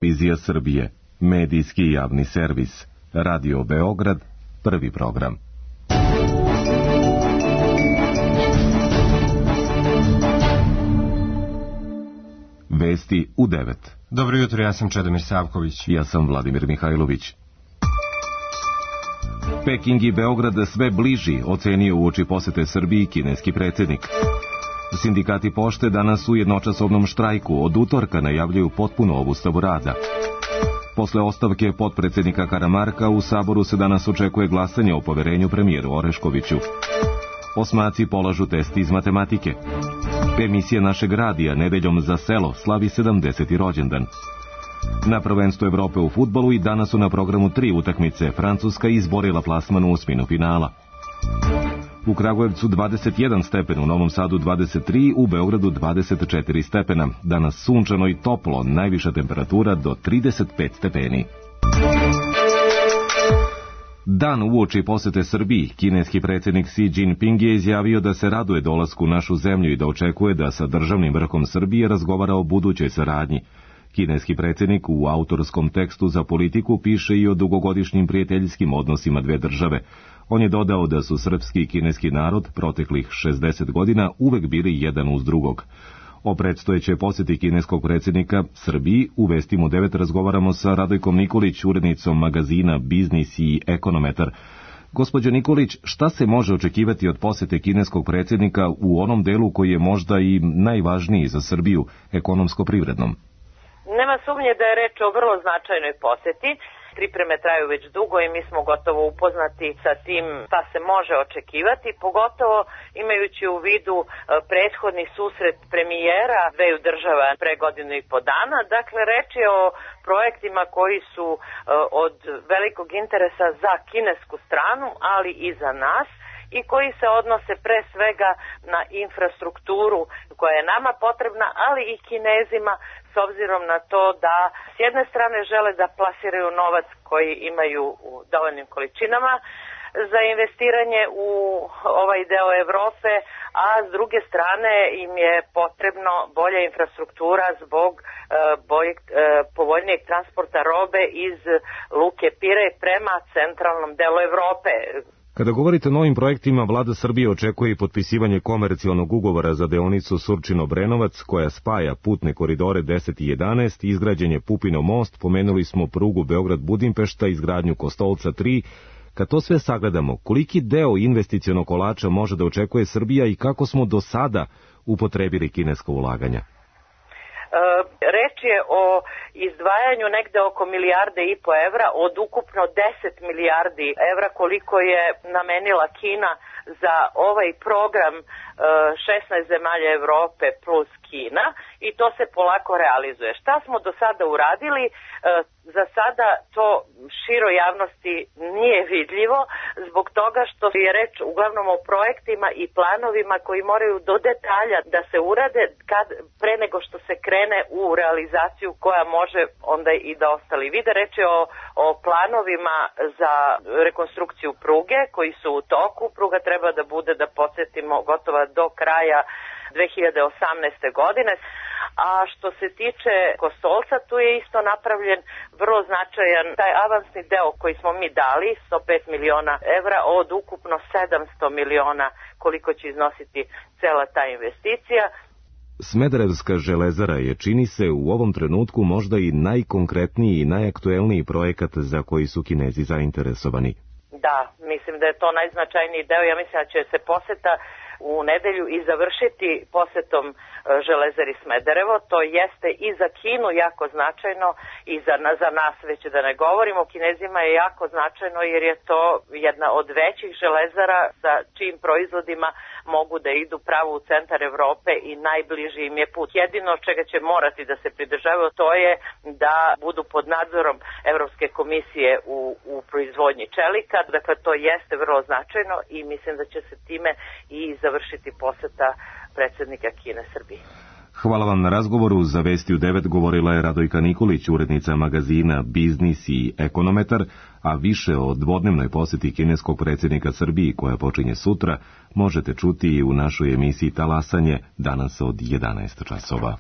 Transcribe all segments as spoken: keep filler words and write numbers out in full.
Televizija Srbije, medijski javni servis, Radio Beograd, prvi program. Vesti u devet. Dobro jutro, ja sam Čedomir Savković. Ja sam Vladimir Mihajlović. Peking i Beograd sve bliži, ocenio uoči posete Srbiji kineski predsjednik. Sindikati pošte danas u jednočasovnom štrajku od utorka najavljuju potpuno obustavu rada. Posle ostavke potpredsjednika Karamarka u Saboru se danas očekuje glasanje o poverenju premijeru Oreškoviću. Osmaci polažu test iz matematike. Emisija našeg radija nedeljom za selo slavi sedamdeseti rođendan. Na prvenstvu Evrope u fudbalu i danas su na programu tri utakmice. Francuska izborila plasman u osminu finala. U Kragujevcu dvadeset jedan stepen, u Novom Sadu dvadeset tri, u Beogradu dvadeset četiri stepena. Danas sunčano i toplo, najviša temperatura do trideset pet stepeni. Dan uoči posete Srbiji, kineski predsjednik Xi Jinping je izjavio da se raduje dolasku u našu zemlju i da očekuje da sa državnim vrhom Srbije razgovara o budućoj saradnji. Kineski predsjednik u autorskom tekstu za Politiku piše i o dugogodišnjim prijateljskim odnosima dve države. On je dodao da su srpski i kineski narod proteklih šezdeset godina uvek bili jedan uz drugog. O predstojećoj posjeti kineskog predsjednika Srbiji u Vestima u devet razgovaramo sa Radojkom Nikolić, urednicom magazina Biznis i Ekonometar. Gospođo Nikolić, šta se može očekivati od posjete kineskog predsjednika u onom delu koji je možda i najvažniji za Srbiju, ekonomsko-privrednom? Nema sumnje da je reč o vrlo značajnoj posjeti. Pripreme traju već dugo i mi smo gotovo upoznati sa tim šta se može očekivati, pogotovo imajući u vidu prethodni susret premijera dveju država pre godinu i po dana. Dakle, reč je o projektima koji su od velikog interesa za kinesku stranu, ali i za nas, i koji se odnose pre svega na infrastrukturu koja je nama potrebna, ali i Kinezima, s obzirom na to da s jedne strane žele da plasiraju novac koji imaju u dovoljnim količinama za investiranje u ovaj deo Evrope, a s druge strane im je potrebno bolja infrastruktura zbog e, boljeg, e, povoljnijeg transporta robe iz Luke Pirej prema centralnom delu Evrope. Kada govorite o novim projektima, vlada Srbije očekuje i potpisivanje komercijalnog ugovora za deonicu Surčin-Obrenovac, koja spaja putne koridore deset i jedanaest, izgrađen je Pupinov most, pomenuli smo prugu Beograd-Budimpešta, izgradnju Kostolca tri. Kad to sve sagledamo, koliki deo investicionog kolača može da očekuje Srbija i kako smo do sada upotrebili kineska ulaganja? Reč je o izdvajanju negde oko milijarde i po evra od ukupno deset milijardi evra koliko je namenila Kina za ovaj program šesnaest zemalja Evrope plus Kina, i to se polako realizuje. Šta smo do sada uradili? Za sada to široj javnosti nije vidljivo zbog toga što je reč uglavnom o projektima i planovima koji moraju do detalja da se urade kad, pre nego što se krene u realizaciju koja može onda i da ostali vide. Reč je o, o planovima za rekonstrukciju pruge koji su u toku. Pruga treba da bude, da podsjetimo, gotova do kraja dve hiljade osamnaeste. godine. A što se tiče Kostolca, tu je isto napravljen vrlo značajan taj avansni deo koji smo mi dali, sto pet miliona evra od ukupno sedamsto miliona koliko će iznositi cela ta investicija. Smederevska železara je, čini se, u ovom trenutku možda i najkonkretniji i najaktuelniji projekat za koji su Kinezi zainteresovani. Da, mislim da je to najznačajniji deo. Ja mislim da će se poseta u nedelju i završiti posetom železari Smederevo. To jeste i za Kinu jako značajno i za, za nas, već da ne govorimo. Kinezima je jako značajno jer je to jedna od većih železara sa čijim proizvodima mogu da idu pravo u centar Evrope i najbliži im je put. Jedino čega će morati da se pridržavaju to je da budu pod nadzorom Evropske komisije u, u proizvodnji čelika. Dakle, to jeste vrlo značajno i mislim da će se time i završiti poseta predsjednika Kine Srbiji. Hvala vam na razgovoru. Za Vesti u devet govorila je Radojka Nikolić, urednica magazina Biznis i Ekonometar, a više o dvodnevnoj posjeti kineskog predsjednika Srbiji koja počinje sutra možete čuti i u našoj emisiji Talasanje danas od jedanaest časova.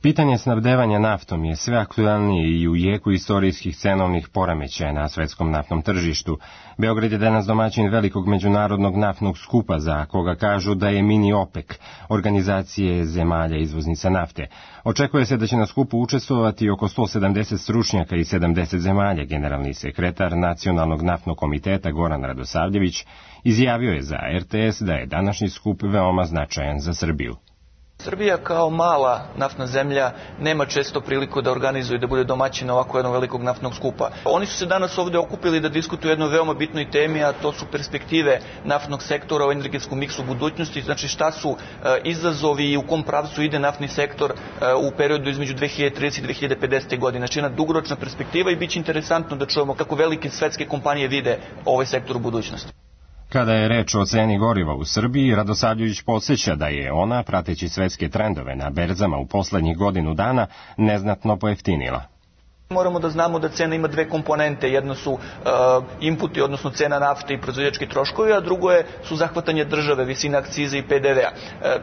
Pitanje snabdevanja naftom je sve aktuelnije i u jeku istorijskih cenovnih poremećaja na svetskom naftnom tržištu. Beograd je danas domaćin velikog međunarodnog naftnog skupa, za koga kažu da je mini OPEC, organizacije zemalja izvoznica nafte. Očekuje se da će na skupu učestvovati oko sto sedamdeset stručnjaka i sedamdeset zemalja. Generalni sekretar Nacionalnog naftnog komiteta Goran Radosavljević izjavio je za R T S da je današnji skup veoma značajan za Srbiju. Srbija kao mala naftna zemlja nema često priliku da organizuje i da bude domaćina ovako jednog velikog naftnog skupa. Oni su se danas ovde okupili da diskutuju o jednoj veoma bitnoj temi, a to su perspektive naftnog sektora u energetskom miksu budućnosti, znači šta su uh, izazovi i u kom pravcu ide naftni sektor uh, u periodu između dve hiljade tridesete i dve hiljade pedesete. godine. Znači jedna dugoročna perspektiva i bit će interesantno da čujemo kako velike svetske kompanije vide ovaj sektor u budućnosti. Kada je reč o ceni goriva u Srbiji, Radosavljević podsjeća da je ona, prateći svetske trendove na berzama u poslednjih godinu dana, neznatno pojeftinila. Moramo da znamo da cena ima dve komponente. Jedno su uh, inputi, odnosno cena nafte i proizvođački troškovi, a drugo je, su zahvatanje države, visina akcize i P D V-a.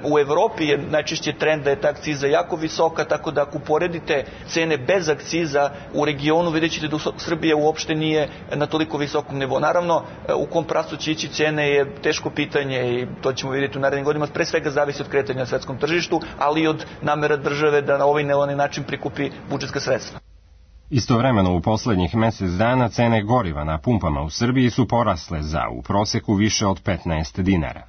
Uh, u Evropi je najčešće trend da je ta akciza jako visoka, tako da ako uporedite cene bez akciza u regionu, vidjet ćete da Srbija uopšte nije na toliko visokom nivou. Naravno, uh, u kom pravcu će ići cene je teško pitanje i to ćemo vidjeti u narednim godinama. Pre svega zavisi od kretanja na svetskom tržištu, ali i od namera države da na ovaj ili onaj način prikupi budžetska sredstva. Istovremeno u poslednjih mesec dana cene goriva na pumpama u Srbiji su porasle za u proseku više od petnaest dinara.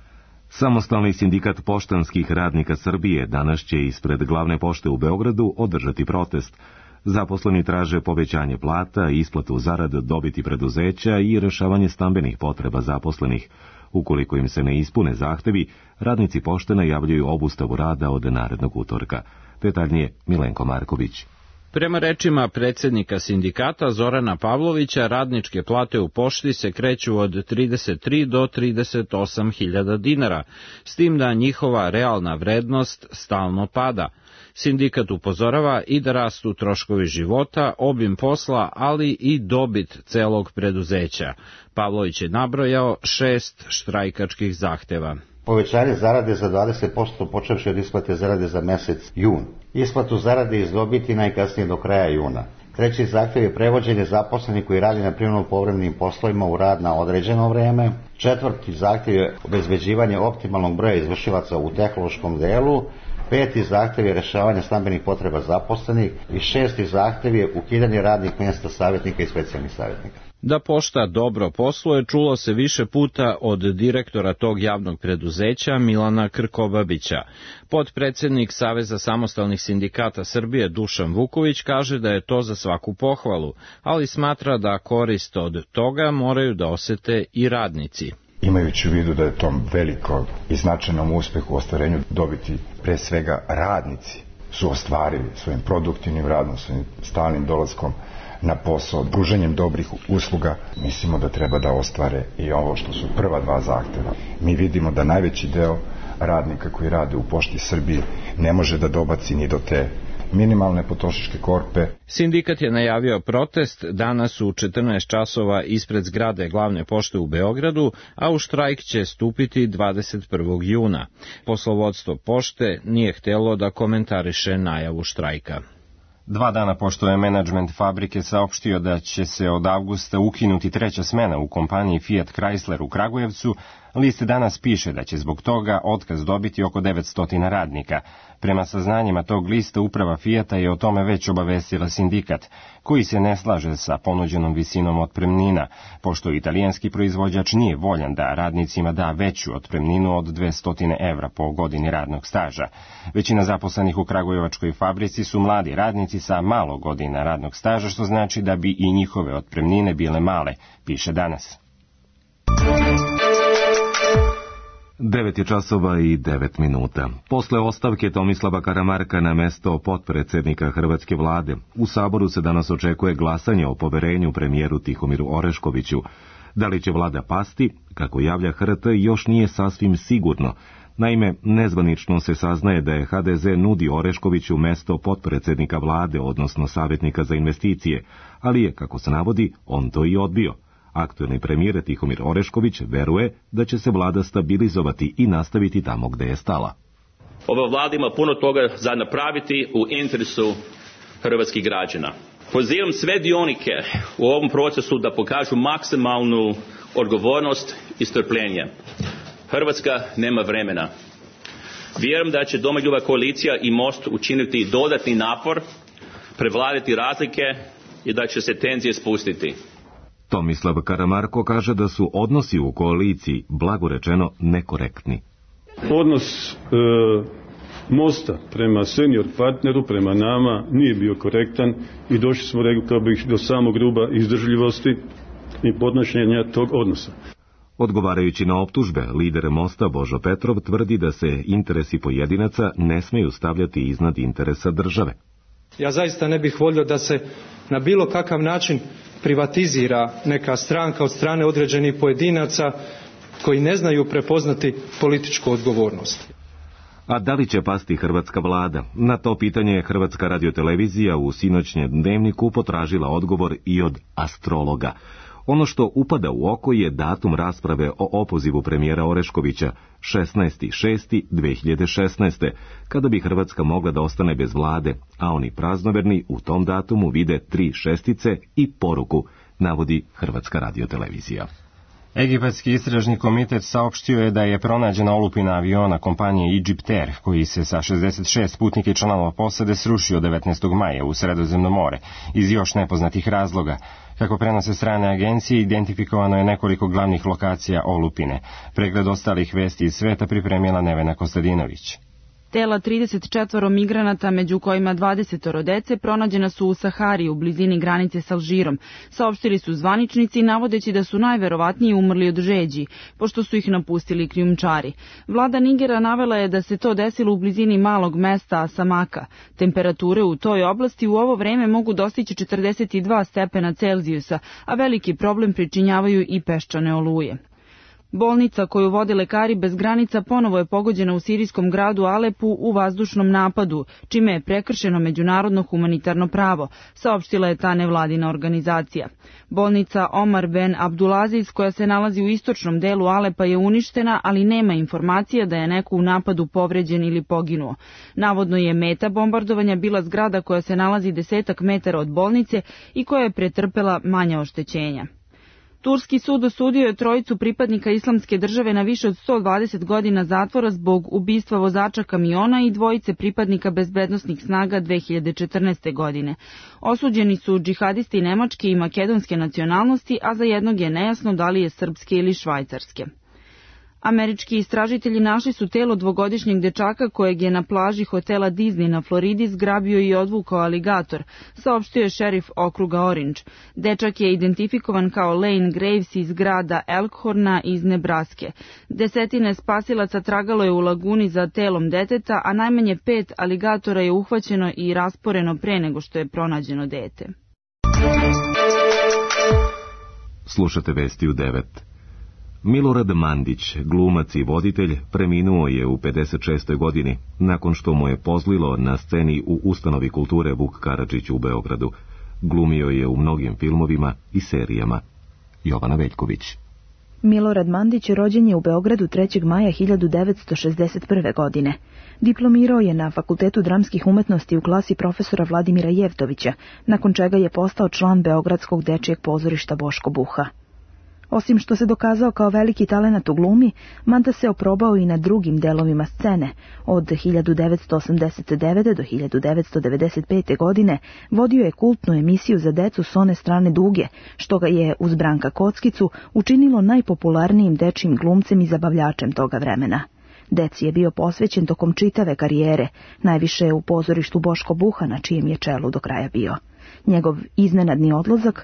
Samostalni sindikat poštanskih radnika Srbije danas će ispred glavne pošte u Beogradu održati protest. Zaposleni traže povećanje plata, isplatu zarada dobiti preduzeća i rešavanje stambenih potreba zaposlenih. Ukoliko im se ne ispune zahtevi, radnici pošte najavljuju obustavu rada od narednog utorka. Detaljnije Milenko Marković. Prema rečima predsjednika sindikata Zorana Pavlovića, radničke plate u pošti se kreću od trideset tri do trideset osam hiljada dinara, s tim da njihova realna vrednost stalno pada. Sindikat upozorava i da rastu troškovi života, obim posla, ali i dobit celog preduzeća. Pavlović je nabrojao šest štrajkačkih zahteva. Povećanje zarade za dvadeset posto počevši od isplate zarade za mesec jun. Isplatu zarade iz dobiti najkasnije do kraja juna. Treći zahtjev je prevođenje zaposlenih koji radi na privremeno povremenim poslovima u rad na određeno vreme. Četvrti zahtjev je obezbeđivanje optimalnog broja izvršilaca u tehnološkom delu. Peti zahtjev je rešavanje stambenih potreba zaposlenih i šesti zahtjev je ukidanje radnih mjesta savjetnika i specijalnih savjetnika. Da pošta dobro posluje čulo se više puta od direktora tog javnog preduzeća Milana Krkobabića. Potpredsednik Saveza samostalnih sindikata Srbije Dušan Vuković kaže da je to za svaku pohvalu, ali smatra da korist od toga moraju da osete i radnici. Imajući u vidu da je tom velikom i značajnom uspehu u ostvarenju dobiti pre svega radnici su ostvarili svojim produktivnim radom, svojim stalnim dolaskom na posao, pružanjem dobrih usluga, mislimo da treba da ostvare i ovo što su prva dva zahteva. Mi vidimo da najveći deo radnika koji rade u Pošti Srbije ne može da dobaci ni do te minimalne potrošačke korpe. Sindikat je najavio protest danas u četrnaest časova ispred zgrade glavne pošte u Beogradu, a u štrajk će stupiti dvadeset prvog juna. Poslovodstvo pošte nije htelo da komentariše najavu štrajka. Dva dana pošto je menadžment fabrike saopštio da će se od avgusta ukinuti treća smena u kompaniji Fiat Chrysler u Kragujevcu, list danas piše da će zbog toga otkaz dobiti oko devetsto radnika. Prema saznanjima tog lista uprava Fijata je o tome već obavestila sindikat, koji se ne slaže sa ponuđenom visinom otpremnina, pošto italijanski proizvođač nije voljan da radnicima da veću otpremninu od dvesta evra po godini radnog staža. Većina zaposlenih u kragujevačkoj fabrici su mladi radnici sa malo godina radnog staža, što znači da bi i njihove otpremnine bile male, piše danas. Devet je časova i devet minuta. Posle ostavke Tomislava Karamarka na mesto potpredsednika Hrvatske vlade, u Saboru se danas očekuje glasanje o poverenju premijeru Tihomiru Oreškoviću. Da li će vlada pasti, kako javlja H R T, još nije sasvim sigurno. Naime, nezvanično se saznaje da je H D Z nudi Oreškoviću mesto potpredsednika vlade, odnosno savjetnika za investicije, ali je, kako se navodi, on to i odbio. Aktuelni premijer Tihomir Orešković veruje da će se vlada stabilizovati i nastaviti tamo gde je stala. Ova vlada ima puno toga za napraviti u interesu hrvatskih građana. Pozivam sve dionike u ovom procesu da pokažu maksimalnu odgovornost i strpljenje. Hrvatska nema vremena. Vjerujem da će Domoljubiva koalicija i Most učiniti dodatni napor, prevladati razlike i da će se tenzije spustiti. Tomislav Karamarko kaže da su odnosi u koaliciji, blago rečeno, nekorektni. Odnos e, Mosta prema senior partneru, prema nama, nije bio korektan i došli smo, rekao bih, do samog ruba izdržljivosti i podnošenja tog odnosa. Odgovarajući na optužbe, lider Mosta Božo Petrov tvrdi da se interesi pojedinaca ne smeju stavljati iznad interesa države. Ja zaista ne bih volio da se na bilo kakav način privatizira neka stranka od strane određenih pojedinaca koji ne znaju prepoznati političku odgovornost. A da li će pasti hrvatska vlada? Na to pitanje je Hrvatska radiotelevizija u sinoćnjem dnevniku potražila odgovor i od astrologa. Ono što upada u oko je datum rasprave o opozivu premijera Oreškovića, šesnaesti juni dve hiljade šesnaeste. kada bi Hrvatska mogla da ostane bez vlade, a oni praznoverni u tom datumu vide tri šestice i poruku, navodi Hrvatska radiotelevizija. Egipatski istražni komitet saopštio je da je pronađena olupina aviona kompanije Egyptair, koji se sa šezdeset šest putnika i članova posade srušio devetnaestog maja u Sredozemno more, iz još nepoznatih razloga. Kako prenose strane agencije, identifikovano je nekoliko glavnih lokacija olupine. Pregled ostalih vesti iz sveta pripremila Nevena Kostadinović. Tela trideset četvoro migranata, među kojima dvadeset dece, pronađena su u Sahari, u blizini granice s Alžirom. Saopštili su zvaničnici, navodeći da su najverovatnije umrli od žeđi, pošto su ih napustili krijumčari. Vlada Nigera navela je da se to desilo u blizini malog mesta Asamaka. Temperature u toj oblasti u ovo vreme mogu dostići četrdeset dva stepena Celzijusa, a veliki problem pričinjavaju i peščane oluje. Bolnica koju vode Lekari bez granica ponovo je pogođena u sirijskom gradu Alepu u vazdušnom napadu, čime je prekršeno međunarodno humanitarno pravo, saopštila je ta nevladina organizacija. Bolnica Omar Ben Abdulaziz, koja se nalazi u istočnom delu Alepa, je uništena, ali nema informacija da je neko u napadu povređen ili poginuo. Navodno je meta bombardovanja bila zgrada koja se nalazi desetak metara od bolnice i koja je pretrpela manja oštećenja. Turski sud osudio je trojicu pripadnika Islamske države na više od sto dvadeset godina zatvora zbog ubistva vozača kamiona i dvojice pripadnika bezbednosnih snaga dve hiljade četrnaeste. godine. Osuđeni su džihadisti nemačke i makedonske nacionalnosti, a za jednog je nejasno da li je srpske ili švajcarske. Američki istražitelji našli su telo dvogodišnjeg dečaka kojeg je na plaži hotela Disney na Floridi zgrabio i odvukao aligator, saopštio je šerif okruga Orange. Dečak je identifikovan kao Lane Graves iz grada Elkhorna iz Nebraske. Desetine spasilaca tragalo je u laguni za telom deteta, a najmanje pet aligatora je uhvaćeno i rasporeno pre nego što je pronađeno dete. Slušate vesti u devet. Milorad Mandić, glumac i voditelj, preminuo je u pedeset šestoj. godini, nakon što mu je pozlilo na sceni u Ustanovi kulture Vuk Karadžić u Beogradu. Glumio je u mnogim filmovima i serijama. Jovana Veljković. Milorad Mandić rođen je u Beogradu trećeg maja hiljadu devetsto šezdeset prve. godine. Diplomirao je na Fakultetu dramskih umetnosti u klasi profesora Vladimira Jevtovića, nakon čega je postao član Beogradskog dečijeg pozorišta Boško Buha. Osim što se dokazao kao veliki talenat u glumi, Manda se oprobao i na drugim delovima scene. Od hiljadu devetsto osamdeset devete. do hiljadu devetsto devedeset pete. godine vodio je kultnu emisiju za decu s one strane duge, što ga je uz Branka Kockicu učinilo najpopularnijim dečijim glumcem i zabavljačem toga vremena. Deci je bio posvećen tokom čitave karijere, najviše u pozorištu Boško Buha, na čijem je čelu do kraja bio. Njegov iznenadni odlazak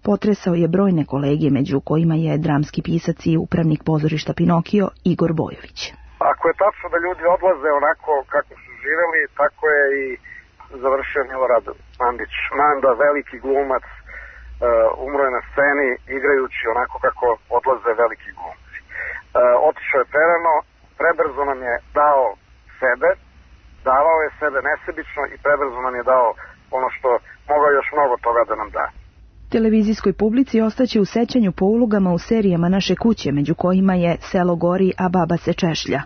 potresao je brojne kolege, među kojima je dramski pisac i upravnik pozorišta Pinokio Igor Bojović. Ako je tačno da ljudi odlaze onako kako su živeli, tako je i završio Milorad Mandić. Manda, veliki glumac, uh, umro je na sceni igrajući onako kako odlaze veliki glumci. Uh, otišao je prerano, prebrzo nam je dao sebe, davao je sebe nesebično i prebrzo nam je dao ono što mogao još mnogo toga da nam da. Televizijskoj publici ostaće u sećanju po ulogama u serijama Naše kuće, među kojima je Selo gori, a baba se češlja.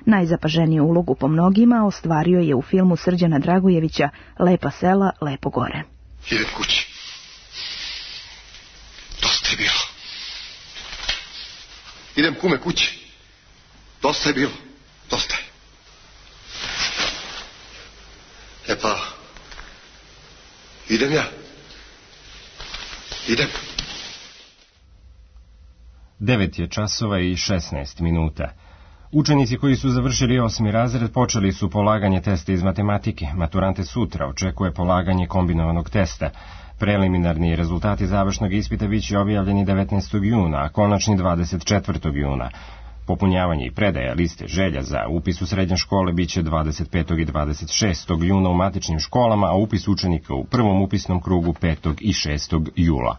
Najzapaženiju ulogu po mnogima ostvario je u filmu Srđana Dragojevića Lepa sela, lepo gore. Idem kući. Dosta je bilo. Idem kume kući. Dosta je bilo. Dosta je. E pa, idem ja. Idem. Devet je časova i šesnaest minuta. Učenici koji su završili osmi razred počeli su polaganje testa iz matematike. Maturante sutra očekuje polaganje kombinovanog testa. Preliminarni rezultati završnog ispita biće objavljeni devetnaestog juna, a konačni dvadeset četvrtog juna. Popunjavanje i predaja liste želja za upis u srednje škole biće dvadeset petog i dvadeset šestog juna u matičnim školama, a upis učenika u prvom upisnom krugu petog i šestog jula.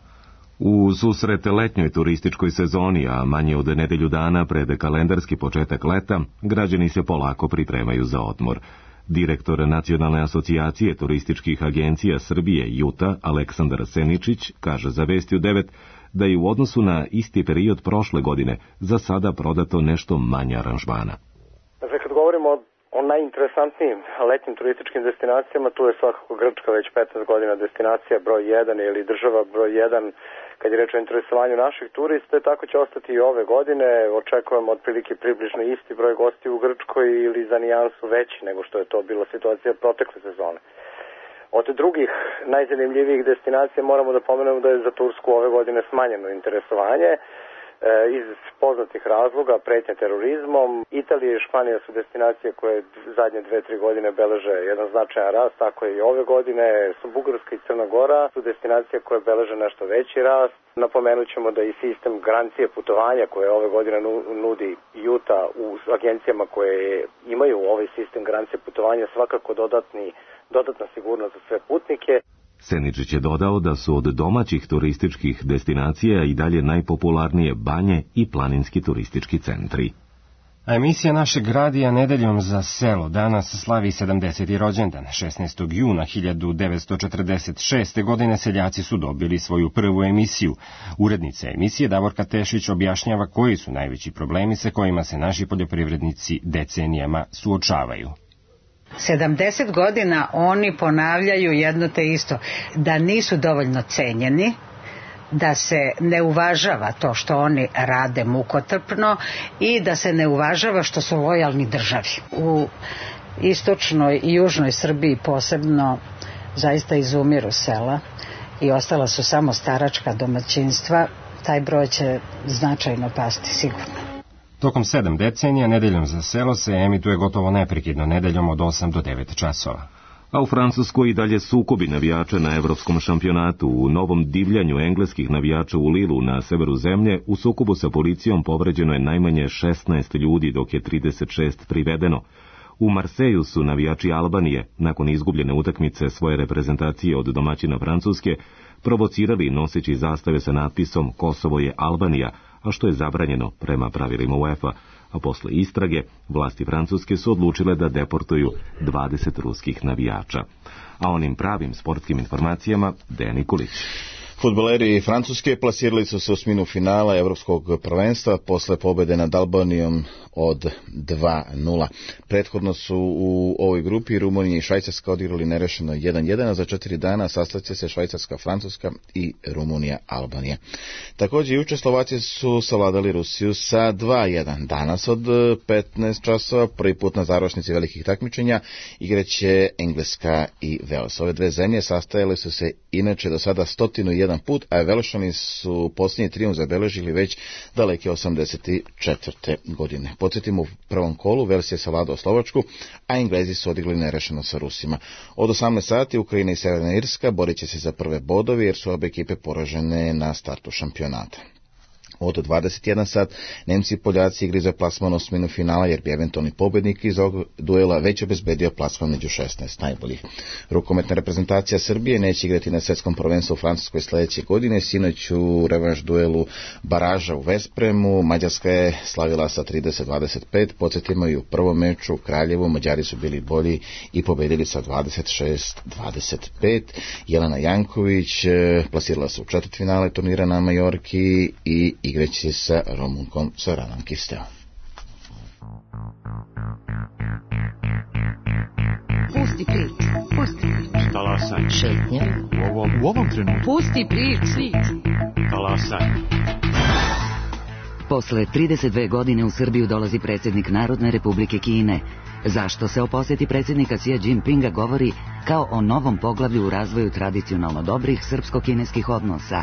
U susret letnjoj turističkoj sezoni, a manje od nedelju dana pred kalendarski početak leta, građani se polako pripremaju za odmor. Direktor Nacionalne asocijacije turističkih agencija Srbije Juta, Aleksandar Seničić, kaže za Vesti u devet da je u odnosu na isti period prošle godine za sada prodato nešto manje aranžmana. Dakle, kad govorimo o, o najinteresantnijim letnjim turističkim destinacijama, tu je svakako Grčka već petnaest godina destinacija broj jedan ili država broj jedan kad je reč o interesovanju naših turista, tako će ostati i ove godine. Očekujemo otprilike približno isti broj gosti u Grčkoj ili za nijansu veći nego što je to bila situacija protekle sezone. Od drugih najzanimljivijih destinacija moramo da pomenemo da je za Tursku ove godine smanjeno interesovanje iz poznatih razloga, pretnje terorizmom. Italija i Španija su destinacije koje zadnje dve, tri godine beleže jedan značajan rast, tako je i ove godine. Su Bugarska i Crna Gora su destinacije koje beleže nešto veći rast. Napomenut ćemo da i sistem garancije putovanja koje ove godine nudi Juta u agencijama koje imaju ovaj sistem garancije putovanja svakako dodatni, dodatna sigurnost za sve putnike. Seničić je dodao da su od domaćih turističkih destinacija i dalje najpopularnije banje i planinski turistički centri. A emisija našeg radija Nedeljom za selo danas slavi sedamdeseti rođendan. šesnaestog juna hiljadu devetsto četrdeset šeste. godine seljaci su dobili svoju prvu emisiju. Urednica emisije Davorka Tešić objašnjava koji su najveći problemi sa kojima se naši poljoprivrednici decenijama suočavaju. sedamdeset godina oni ponavljaju jedno te isto, da nisu dovoljno cenjeni, da se ne uvažava to što oni rade mukotrpno i da se ne uvažava što su lojalni državi. U istočnoj i južnoj Srbiji posebno zaista izumiru sela i ostala su samo staračka domaćinstva. Taj broj će značajno pasti sigurno. Tokom sedam decenija Nedeljom za selo se emituje gotovo neprekidno nedeljom od osam do devet časova. A u Francuskoj i dalje sukobi navijača na evropskom šampionatu. U novom divljanju engleskih navijača u Lilu na severu zemlje u sukobu sa policijom povređeno je najmanje šesnaest ljudi, dok je trideset šest privedeno. U Marseju su navijači Albanije, nakon izgubljene utakmice svoje reprezentacije od domaćina Francuske, provocirali noseći zastave sa natpisom Kosovo je Albanija, a što je zabranjeno prema pravilima UEFA, a posle istrage vlasti Francuske su odlučile da deportuju dvadeset ruskih navijača. A onim pravim sportskim informacijama Dejan Nikolić. Fudbaleri Francuske plasirali su se u osminu finala Evropskog prvenstva posle pobede nad Albanijom od dva nula. Prethodno su u ovoj grupi Rumunija i Švajcarska odigrali nerešeno jedan jedan, a za četiri dana sastaće se Švajcarska, Francuska i Rumunija, Albanija. Također juče Slovaci su savladali Rusiju sa dva jedan. Danas od petnaest časova prvi put na završnici velikih takmičenja igraće Engleska i Vels. Ove dve zemlje sastajale su se inače do sada stotinu jedan put, a Velšani su posljednji trijumf zabeležili već daleke osamdeset četvrte. godine. Podsjetimo, u prvom kolu Vels je savladao Slovačku, a Englezi su odigli nerešeno sa Rusima. Od osamnaest sati Ukrajina i Sjeverna Irska borit će se za prve bodove jer su obe ekipe poražene na startu šampionata. Od dvadeset jedan sat Nemci i Poljaci igri za plasman osminu finala jer bi eventualni pobednik iz ovog duela već obezbedio plasman među šesnaest najboljih. Rukometna reprezentacija Srbije neće igrati na svetskom prvenstvu u Francuskoj sljedeće godine. Sinoć u revanš duelu baraža u Vespremu Mađarska je slavila sa trideset dvadeset pet. Podsjetimo, i u prvom meču u Kraljevu Mađari su bili bolji i pobedili sa dvadeset šest dvadeset pet. Jelena Janković plasirala se u četvrtfinale turnira na Majorki i igraće sa Rumunkom Soranom Kisteo. Pusti prič. Pusti prič. Talasaj. Šetnja. U ovom, u ovom trenutku. Pusti prič. Talasaj. Posle trideset dve godine u Srbiju dolazi predsjednik Narodne Republike Kine. Zašto se o posjeti predsjednika Xi Jinpinga govori kao o novom poglavlju u razvoju tradicionalno dobrih srpsko-kineskih odnosa?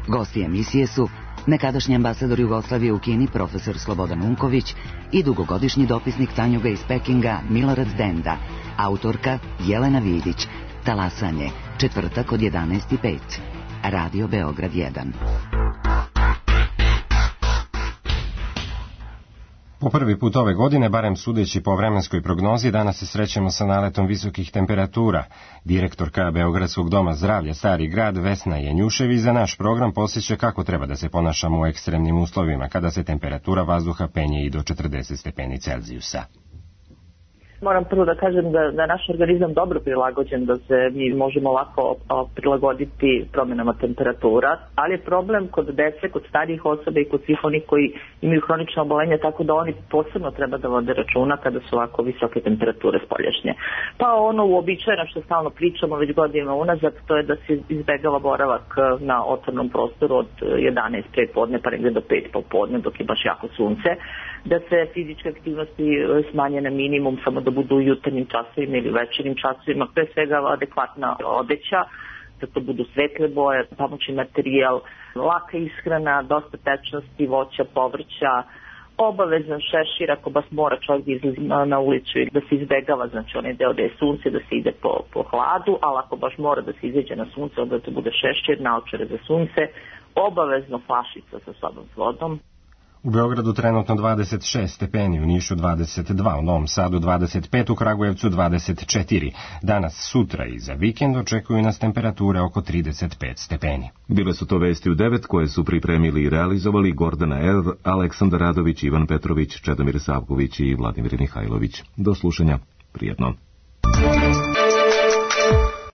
Gosti emisije su nekadašnji ambasador Jugoslavije u Kini profesor Slobodan Unković i dugogodišnji dopisnik Tanjuga iz Pekinga Milorad Denda, autorka Jelena Vidić. Talasanje, četvrtak od jedanaest i pet. Radio Beograd jedan. Po prvi put ove godine, barem sudeći po vremenskoj prognozi, danas se srećemo sa naletom visokih temperatura. Direktorka Beogradskog doma zdravlja Stari grad Vesna Janjušević za naš program posjeća kako treba da se ponašamo u ekstremnim uslovima, kada se temperatura vazduha penje i do četrdeset stepeni Celzijusa. Moram prvo da kažem da, da naš organizam dobro prilagođen, da se mi možemo lako prilagoditi promjenama temperatura, ali je problem kod dece, kod starijih osoba i kod svih onih koji imaju hronične obolenja, tako da oni posebno treba da vode računa kada su ovako visoke temperature spoljašnje. Pa ono uobičajeno što stalno pričamo već godinama unazad, to je da se izbegava boravak na otvornom prostoru od jedanaest pre podne pa negde do pet popodne dok je baš jako sunce, da se fizičke aktivnosti smanje na minimum, samo da budu u jutarnjim časovima ili večernjim časovima, pre svega adekvatna odeća, da to budu svetle boje, pomoćni materijal, laka ishrana, dosta tečnosti, voća, povrća, obavezan šešir ako baš mora čovjek da izlazi na, na ulicu i da se izbegava, znači onaj deo da je sunce, da se ide po, po hladu, ali ako baš mora da se izađe na sunce, onda to bude šešir, naočare za sunce, obavezno flašica sa sobom s vodom. U Beogradu trenutno dvadeset šest stepeni, u Nišu dvadeset dva, u Novom Sadu dvadeset pet, u Kragujevcu dvadeset četiri. Danas, sutra i za vikend očekuju nas temperature oko trideset pet stepeni. Bile su to vesti u devet koje su pripremili i realizovali Gordana Er, Aleksandar Radović, Ivan Petrović, Čedomir Savković i Vladimir Mihajlović. Do slušanja. Prijetno.